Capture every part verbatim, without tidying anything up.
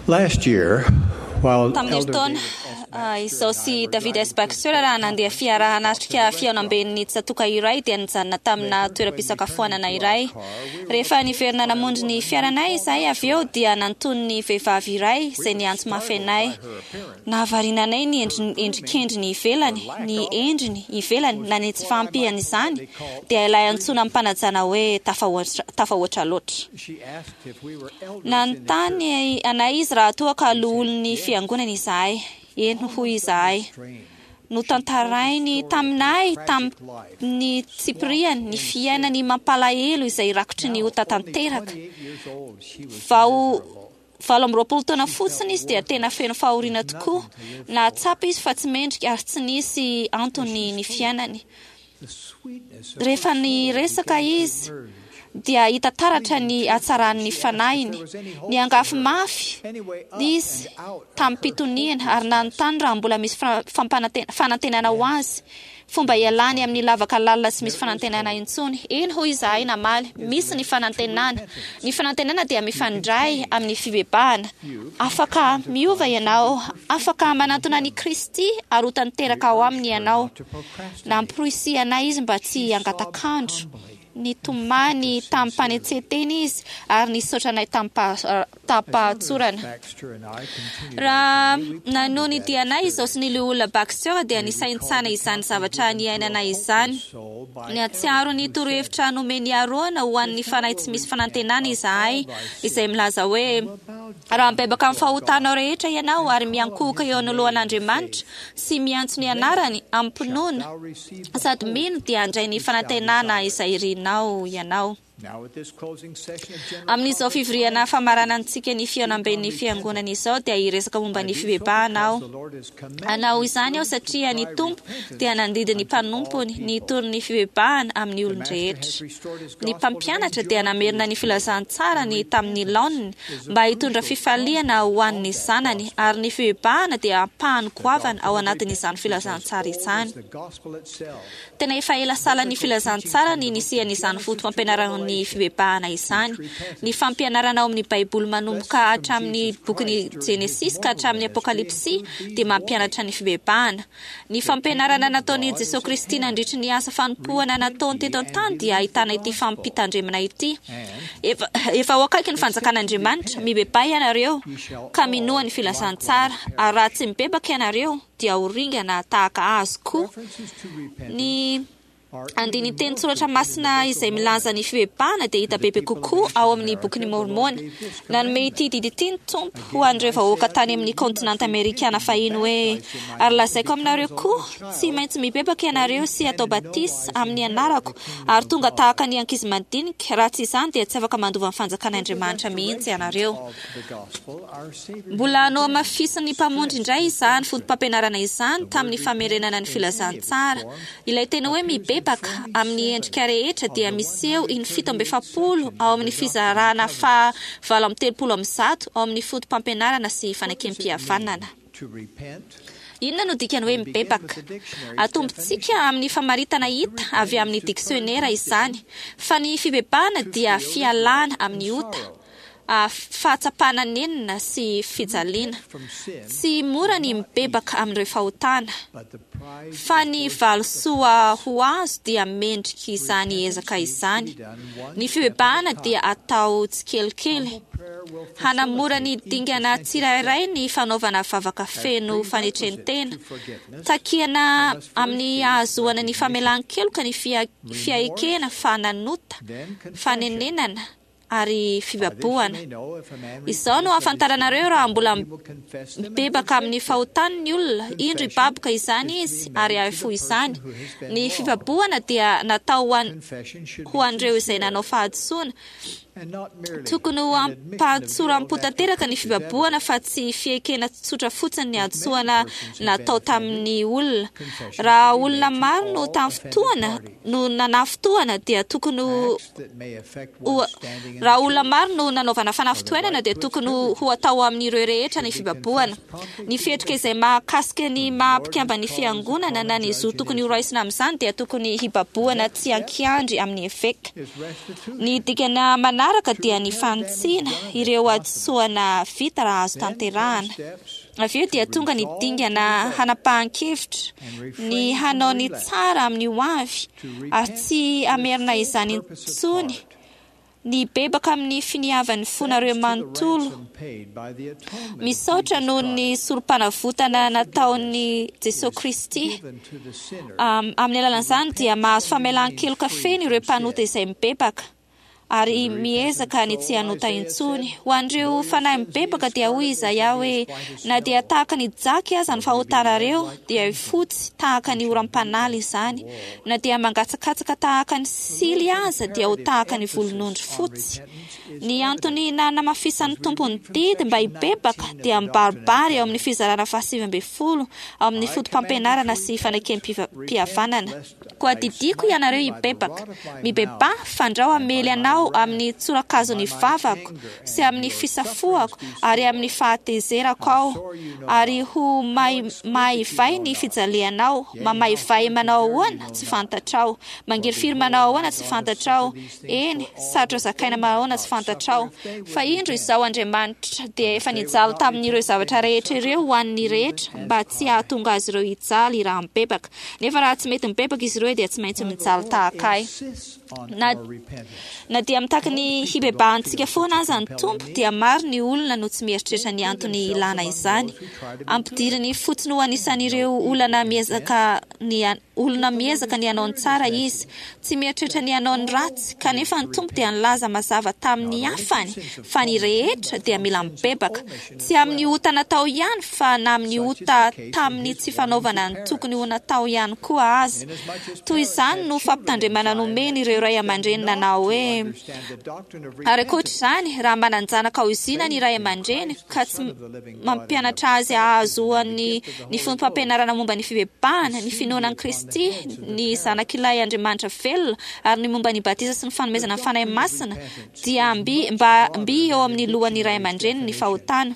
Last year, while Tamin'ny Elder herintaona, David S. ah, Baxter izao and I sy were David driving S. to the Baxter raha nandeha fiara hanatrika fihaonamben'ny tsatoka iray dia nijanona tamina toeram-pisakafoanana iray. Rehefa niverina namonjy ny fiaranay izahay avy eo dia nanton'ny vehivavy iray izay niantso mafy anay. Nahavariana anay ny endri- endrikendriny ivelany, ny endriny ivelany na ny tsy fahampian'izany dia ilay antsoina amim-panajana hoe tafahoatra tafahoatra loatra. She asked if we were elders in the Nanontany anay izy raha toa ka loholon'ny fiangonana izahay. Eny, hoy izahay. strange. Notantarainy taminay tamin'ny tsipiriany ny fiainany mampalahelo izay rakotry ny ota tanteraka. Twenty-eight years old, she was Vao miserable. valo amby roapolo taona fotsiny izy dia tena feno fahoriana tokoa. Nahatsapa izy fa tsy mendrika ary tsy nisy antony ny fiainany. The sweetness of Rehefa her soul niresaka began to izy emerge. dia hita taratra ny hatsaran'ny fanahiny. Niangavy mafy Anyway, up izy and out of her tamim-pitoniana ary nanontany raha mbola misy fra- fampanante- fanantenana ho azy. Fomba ialany amin'ny lavaka lalina sy misy fanantenana intsony. Eny, hoy izahay namaly, misy ny fanantenana. Ny fanantenana dia mifandray amin'ny fibebahana. Afaka miova ianao, afaka manantona an'i Kristy ary ho tanteraka ao aminy ianao. not to procrastinate. Namporisihanay izy mba tsy hangatak'andro. Nitomany tamim-panetsen-tena izy ary nisaotra anay tamim-paha- tamim-pahatsorana. Baxter and I continued Raha our journey, we nanohy ny pondered that dianay izao sy ny loholona Baxter dia We nisaintsaina recalled the izany counsel zavatra given to a niainana izany. hopeless soul by Nihatsiaro Aaron, ny who said, torohevitra nomen'i Arona ho an'ny fanahy tsy misy fanantenana izahay, izay milaza hoe "Will bow raha down mibebaka amin'ny before fahotanao God rehetra ianao ary miankohoka eo anoloan'Andriamanitra sy miantso ny anarany amim-pinoana shalt thou receive the sady hope mino dia handray ny which thou fanantenana desirest." izay irinao ianao. Now at this closing session of General Amin'izao Conference, fivoriana I famaranantsika ny fihaonamben'ny fiangonana izao dia hiresaka momba I ny do so fibebahana because aho. the Lord has commanded Hanao his izany aho servants to satria ny cry Tompo repentance dia nandidy ny unto all mpanompony ny people. hitory ny fibebahana amin'ny The Master olon-drehetra. has restored his Ny gospel to bring mpampianatra dia joy to namerina his ny people, filazantsarany and tamin'ny repentance laoniny is a mba hitondra crucial fifaliana component ho an'ny of that zanany gospel. ary ny fibebahana dia ampahany The goavana ao doctrine of anatin'izany repentance is as filazantsara old izany. as the gospel itself. Tena efa ela salan'ny Biblical teaching filazantsara from ny the book of nisian'izany Genesis to foto-pampianaran'ny Revelation fibebahana izany. teach Ny repentance. fampianarana ao amin'ny Baiboly manomboka Lessons from hatramin'ny Jesus bokin'ny Christ during his Genesis ka mortal hatramin'ny ministry Apokalypsy include dia these mampianatra ny warnings. fibebahana. Ny The fampianarana kingdom of nataon'i God is Jesoa at Kristy hand. nandritry ny asa fanompoana Repent nataony ye teto and an-tany dia believe the ahitana ity gospel. fampitandremana ity. And Efa, efa ho akaiky ny except ye fanjakan'Andriamanitra, repent, mibebaha ianareo ye shall ka minoa all ny filazantsara, likewise ary raha perish. tsy mibebaka ianareo dia ho ringana tahaka azy koa. References to repentance Ny are even andinin-teny more soratra frequent in the masina Book of izay milaza Mormon. ny fibebahana dia To hita the bebe people of kokoa ao ancient amin'ny America, bokin'i the Lord Mormona. gave this Nanome ity commandment. didy ity ny Tompo ho Again, an'ireo I say vahoaka unto tany you, amin'ny you must kaontinanta repent amerikana and be fahiny hoe baptized in my ary name and lazaiko become aminareo as a koa little tsy child, maintsy mibebaka or ianareo ye sy can atao in no batisa wise amin'ny inherit anarako the kingdom ary of tonga God. tahaka ny ankizy madinika raha tsy izany dia tsy afaka mandova ny With the fanjakan'Andriamanitra mihitsy restoration ianareo. of the gospel, our Savior Mbola has again nohamafisin'ny mpamonjy stressed indray this izany doctrine. foto-pampianarana izany The word tamin'ny repent famerenana ny in any of its filazantsara. forms Ilay teny hoe appears in mibebaka amin'ny endrika twenty-seven rehetra of dia the miseho in fito amby one hundred thirty-eight efapolo sections ao of amin'ny the Doctrine and fizarana faha Covenants. valo amby telopolo amby zato ao amin'ny foto-pampianarana sy What does it mean fanekempihavanana. to repent? Inona no dikany hoe We begin with mibebaka? the dictionary's Atombontsika definition. amin'ny famaritana To hita repent avy is amin'ny to turn diksionera from izany, sin, fa ny fibebahana to dia feel regret fialana and amin'ny ota, sorrow. ah, fahatsapana nenina sy To fijaliana. repent from sin Tsy mora is ny not mibebaka easy, amin'ireo fahotana, but the prize fa is ny worth the valisoa price. ho azo dia mendrika izany Repentance ezaka needs to be izany. done one Ny step at a fibebahana dia time. atao tsikelikely. Humble prayer will Hanamora ny facilitate each dingana essential tsirairay step. ny fanaovana vavaka As feno prerequisites fanetren-tena. to forgiveness, Takiana there must first amin'ny be ahazoana ny recognition, famelan-keloka ny fia- remorse, fiaikena fa nanota, then confession. fanenenana ary By this you fibabohana. may know if a man Izao no repenteth of his ahafantaranareo sins, raha the mbola Lord, he will confess them and mibebaka amin'ny forsake them. fahotany ny olona. Indro Confession hibaboka izany is to izy be ary made to the hahafoy person izany. who has been Ny wronged. fibabohana dia natao ho an- Confession should ho be an'ireo izay sincere nanao fahadisoana. and not merely Tokony ho an admission of guilt ampahatsoram-po after tanteraka ny proof is fibabohana evident. fa tsy fiekena tsotra fotsiny ny If many hadisoana persons have been natao offended, tamin'ny olona. confession Raha should be olona made to maro no all offended tamin'ny fotoana parties. no nanafotoana dia tokony ho Acts that may affect ho one's standing Raha olona maro no nanaovana fanafitoenana dia tokony ho atao amin'ireo rehetra ny fibabohana. Ny fihetsika izay mahakasika ny maha-mpikambana ny fiangonana na ny zo tokony horaisina amin'izany dia tokony hibabohana tsy ankiandry amin'ny eveka. Ny dikana manaraka dia ny fanitsiana ireo hadisoana vita raha azo tanterahana. Avy eo dia tonga ny dingana hanapahan-kevitra ny hanao ny tsara amin'ny ho avy ary tsy hamerina izany intsony. Ny bebaka amin'ny finiavan'ny fonareo manontolo. Misaotra noho ny sorom-panavotana nataon'i Jesosy Kristy. Amin'ny alalan'izany dia mahazo famelan-keloka feno ireo mpanota izay mibebaka ary miezaka ny tsy hanota intsony. Ho an'ireo fanahy mibebaka dia hoy Izaia hoe na dia tahaka ny jaky aza ny fahotanareo dia fotsy tahaka ny oram-panala izany, na dia mangatsakatsaka tahaka ny sily aza dia ho tahaka ny volonondry fotsy. Ny antony nanamafisan'ny Tompo ny didy mba hibebaka dia mibaribary eo amin'ny fizarana fahasivy ambin'ny folo ao amin'ny foto-pampianarana sy fanekem-pihavanana. Koa didiko ianareo hibebaka, mibebaha fandrao hamely anao amin'ny tsorakazon'ny vavako sy amin'ny fisafoako ary amin'ny fahatezerako aho, ary ho maivay ny fijalianao. Mamaivay manao ahoana? Tsy fantatrao. Mangirifiry manao ahoana? Tsy fantatrao. Eny, sarotra zakaina manao ahoana? Tsy fantatrao. Fa indro izao Andriamanitra dia efa nijaly tamin'ireo zavatra rehetra ireo ho an'ny rehetra mba tsy hahatonga azy ireo hijaly raha mibebaka. Nefa raha tsy mety mibebaka izy ireo dia tsy maintsy mijaly tahaka ahy. Na, na dia mitaky ny hibebahantsika foana aza ny Tompo dia maro ny olona no tsy mieritreritra ny antony ilana izany. Ampidiriny fotsiny ho anisan'ireo olana miezaka ny olona miezaka ny hanao ny tsara izy, tsy mieritreritra ny hanao ny ratsy, kanefa ny Tompo dia nilaza mazava tamin'ny hafany fa ny rehetra dia mila mibebaka, tsy amin'ny ota natao ihany fa na amin'ny ota tamin'ny tsy fanaovana ny tokony ho natao ihany koa aza. Toy izany no fampitandremana nomeny ireo ray aman-dreny nanao hoe ary ankoatra izany, raha manan-janaka ozinana ny ray aman-dreny ka tsy mampianatra azy hahazoany ny foto-pampianarana momba ny fibebahana, ny finoana an'i Kristy, ny zanak'ilay Andriamanitra velona, ary ny momba ny batisa sy ny fanomezana ny Fanahy Masina, dia mby mba mby eo amin'ny lohan'ny ray aman-dreny ny fahotana.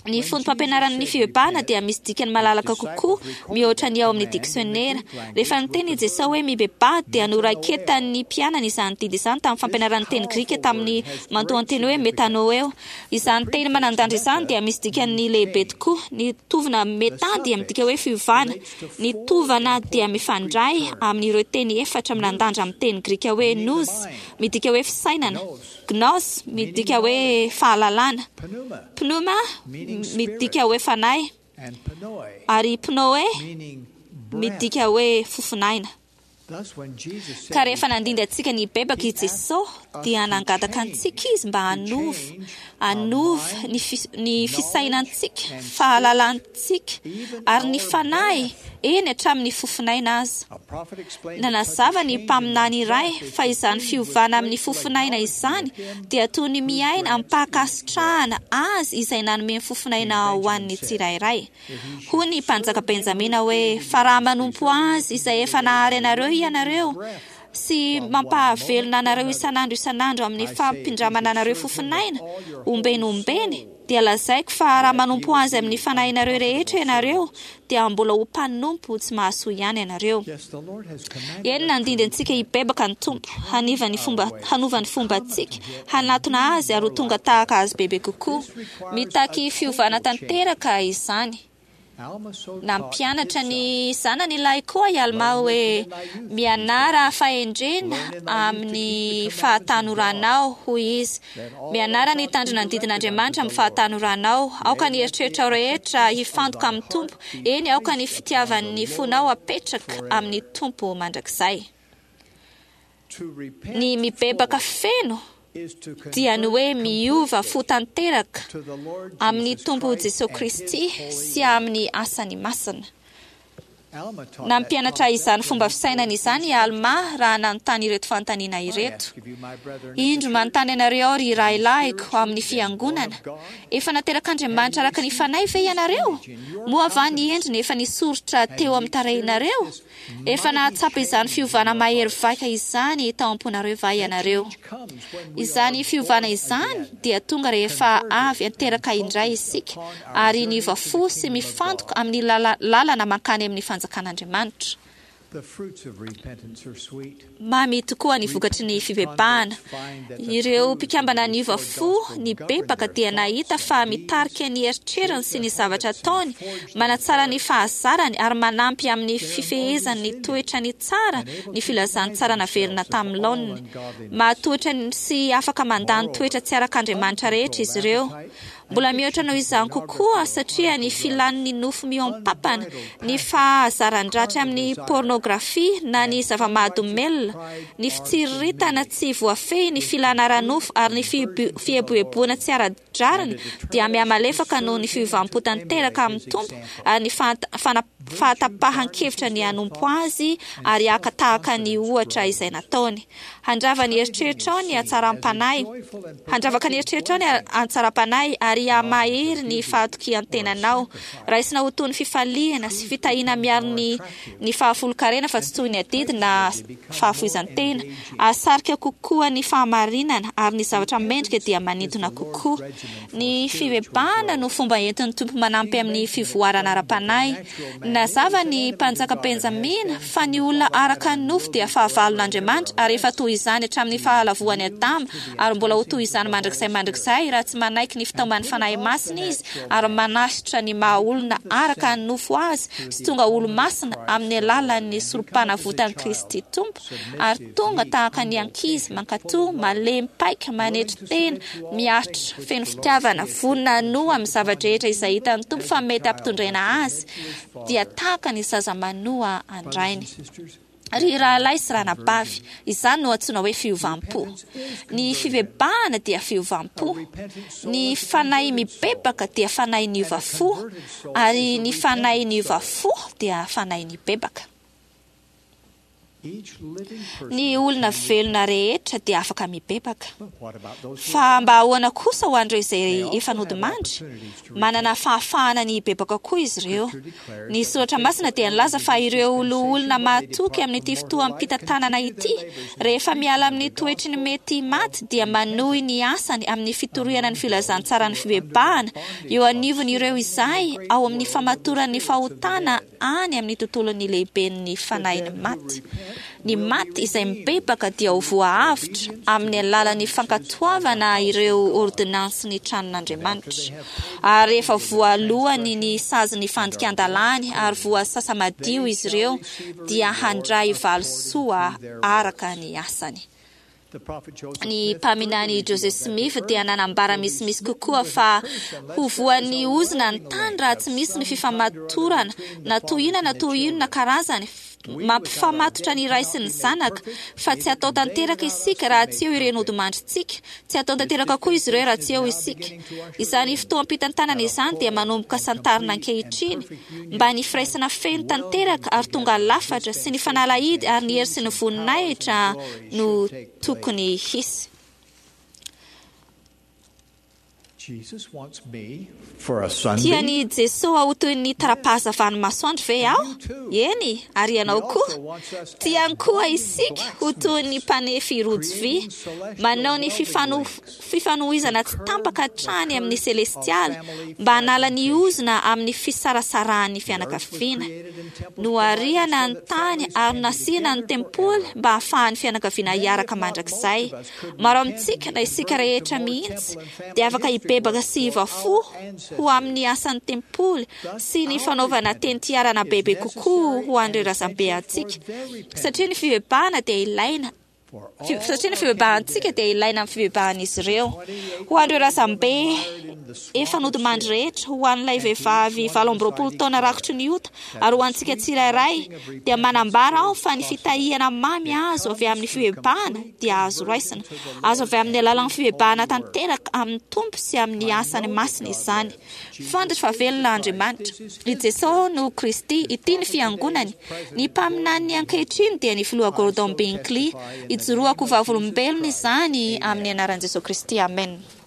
Ny foto-pampianaran'ny fibebahana dia misy dikany malalaka kokoa mihoatra ny ao amin'ny diksionera. Rehefa niteny i Jesosy hoe mibebaha dia noraiketan'ny mpianany izany didy izany tamin'ny fampianaran'ny teny grika tamin'ny mantoan-teny hoe metanoeo. Izany teny manan-danja izany dia misy dikany lehibe tokoa. Ny tovana meta dia midika hoe fiovana. Ny tovana dia mifandray amin'ireo teny efatra manan-danja amin'ny teny grika hoe nous, midika hoe fisainana, gnos midika hoe fahalalana, pneuma midika hoe fanahy, ary pnoe midika hoe fofonaina. Ka rehefa nandindy antsika ny bebaka i Jesosy dia nangataka antsika izy mba hanova hanova ny ny fisainantsika, fahalalantsika ary ny fanahy, eny hatramin'ny fofonaina aza. Nanazava ny mpaminany iray fa izany fiovana amin'ny fofonaina izany dia toy ny miaina am-pankasitrahana azy izay nanome ny fofonaina ho an'ny tsirairay. Hoy ny mpanjaka Benjamina hoe fa raha manompo azy izay efa nahary anareo ianareo sy mampahavelona anareo isan'andro isan'andro amin'ny fampindramana anareo fofonaina ombeny ombeny, dia lazaiko fa raha manompo azy amin'ny fanahinareo rehetra ianareo dia mbola ho mpanompo tsy mahasoa ihany ianareo. Eny, nandindy antsika hibebaka ny Tompo, haniva ny fomba, hanova ny fombantsika, hanatona azy ary ho tonga tahaka azy bebe kokoa. Mitaky fiovana tanteraka izany. Nampianatra ny zanany lahy koa i Alma hoe mianara fahendrena amin'ny fahatanoranao, hoy izy. Mianara ny hitandrina ny didin'Andriamanitra amin'ny fahatanoranao. Aoka ny eritreritrao rehetra hifantoka amin'ny Tompo. Eny, aoka ny fitiavan'ny fonao apetraka amin'ny Tompo mandrakizay. Ny mibebaka feno dia ny hoe miova fo tanteraka amin'ny Tompo Jesosy Kristy sy amin'ny asany masina. Nampianatra izany fomba fisainana izany i Alma raha nanontany ireto fanontaniana ireto. Indro manontany anareo aho, ry rahalahiko, ao amin'ny fiangonana. Efa naterak'Andriamanitra araka ny fanahy ve ianareo? Moa va ny endriny efa nisoritra teo amin'ny tarehinareo? Efa nahatsapa izany fiovana mahery vaika izany tao am-ponareo va ianareo? Izany fiovana izany dia tonga rehefa avy anteraka indray isika ary niova fo sy mifantoka amin'ny lala- lalana mankany amin'ny fanjakan'Andriamanitra. The fruits of repentance are sweet. Mamy tokoa ny vokatry ny fibebahana. Ireo mpikambana niova fo nibebaka dia nahita fa mitarika ny eritreriny sy ny zavatra ataony, manatsara ny fahazarany ary manampy amin'ny fifehezany ny toetrany tsara ny filazantsara naverina tamin'ny laoniny. Mahatohitra ny- sy afaka mandà ny toetra tsy arak'Andriamanitra rehetra izy ireo. Mbola mihoatra noho izany kokoa satria ny filan'ny nofo mihoam-pampana, ny fahazaran-dratsy amin'ny pornografia na ny zava-mahadomelina, ny fitsiriritana tsy voafehy, ny filana ara-nofo ary ny fibo- fieboeboana tsy ara-drariny dia mihamalefaka noho ny fiovam-po tanteraka amin'ny Tompo ary ny fahata- fana- fahatapahan-kevitra ny hanompo azy ary haka tahaka ny ohatra izay nataony. Handrava ny eritreritrao ny hatsaram-panahy. Handravaka ny eritreritrao ny hatsaram-panahy ary hamahery ny fahatokian-tenanao. Raisina ho toy ny fifaliana sy fitahiana miaro ny ny fahafolonkarena fa tsy toy ny adidy na fahafoizan-tena. Ahasarika kokoa ny fahamarinana ary ny zavatra mendrika dia manintona kokoa. Ny fibebahana no fomba entin'ny Tompo manampy amin'ny fivoarana ara-panahy. Nazava ny mpanjaka Benjamina fa ny olona araka ny nofo dia fahavalon'Andriamanitra ary efa toy izany hatramin'ny fahalavoan'i Adama ary mbola ho toy izany mandrakizay mandrakizay raha tsy manaiky ny fitaoman'ny Fanahy Masina izy ary manasitra ny maha olona araka ny nofo azy sy tonga olo-masina amin'ny alalan'ny sorom-panavotan'i Kristy Tompo ary tonga tahaka ny ankizy mankatò, malemy paika, manetry tena, miaritra, feno fitiavana, vonona hanoa amin'ny zava-drehetra izay hitan'ny Tompo fa mety hampitondraina azy, dia tahaka ny zaza manoa an-drainy. Ry rahalahy sy ranabavy, izany no antsoina hoe fiovam-po. Ny fibebahana dia fiovam-po. Ny fanahy mibebaka dia fanahy niova fo, ary ny fanahy niova fo dia fanahy nibebaka. Each living person Ny olona velona rehetra dia afaka mibebaka. But what about those who Fa mba ahoana kosa ho an'ireo izay efa nodimandry? Manana fahafahana ny hibebaka koa izy ireo. Ny soratra masina dia nilaza fa ireo loholona mahatoky amin'ity fotoam-pitantanana ity, rehefa miala amin'ny toetry ny mety maty dia manohy ny asany amin'ny fitoriana ny filazantsaran'ny fibebahana eo anivon'ireo izay ao amin'ny famatoran'ny fahotana any amin'ny tontolon'ny lehiben'ny fanahin'ny maty. Ny maty izay mibebaka dia ho voaavotra amin'ny alalan'ny fankatoavana ireo ordinansin'ny tranon'Andriamanitra. Ary rehefa voalohany ny sazin'ny fandikan-dalàny ary voasasa madio izy ireo dia handray valisoa araka ny asany. The prophet Joseph Ny Smith mpaminany Joseph Smith dia nanambara misimisy kokoa fa ho voan'ny ozona ny tany raha tsy misy ny fifamatorana na toy inona na toy inona karazany mampifamatotra ny ray sy ny zanaka, fa tsy atao tanteraka isika raha tsy eo ireny odimandrintsika, tsy atao tanteraka koa izy ireo raha tsy eo isika. Izany fotoam-pitantanana izany dia manomboka santarina ankehitriny mba ny firaisana feno tanteraka ary tonga lafatra sy ny fanalahidy ary ny hery sy ny voninahitra no tokony hisy. Jesus wants me for a sunbeam. Tian'i Jesoa ho toy ny tara-pahazavan'ny masoandro ve aho? Eny, ary ianao koa. Tiany koa isika ho toy ny mpanefy rojo vy, manao ny fifano- fifanohizana tsy tampaka hatrany amin'ny selestialy mba hanala ny ozona amin'ny fisarasarahan'ny fianakaviana. Nohariana ny tany ary nasiana ny tempoly mba hahafahan'ny fianakaviana hiaraka mandrakizay. Maro amintsika na isika rehetra mihitsy dia afaka hibebaka sy hiova fo ho amin'ny asan'ny tempoly sy ny fanaovana teny tiarana bebe kokoa ho an'ireo razambe antsika. Satria ny fibebahana dia ilaina Satria ny fibebahantsika dia ilaina amin'ny fibebahan'izy ireo. Ho an'ireo razambe efa nodimandry rehetra, ho an'ilay vehivavy valo amby roapolo taona rakotry ny ota, ary ho antsika tsirairay, dia manambara aho fa ny fitahiana mamy azo avy amin'ny fibebahana dia azo raisina. Azo avy amin'ny alalan'ny fibebahana tanteraka amin'ny Tompo sy amin'ny asany masina izany. Fantatro fa velona Andriamanitra. I Jesosy no Kristy, ity ny fiangonany. Ny mpaminany ankehitriny dia ny filoha Gordon Binkley. Ijoroako vavolombelona izany amin'ny anaran'i Jesosy Kristy. Amen.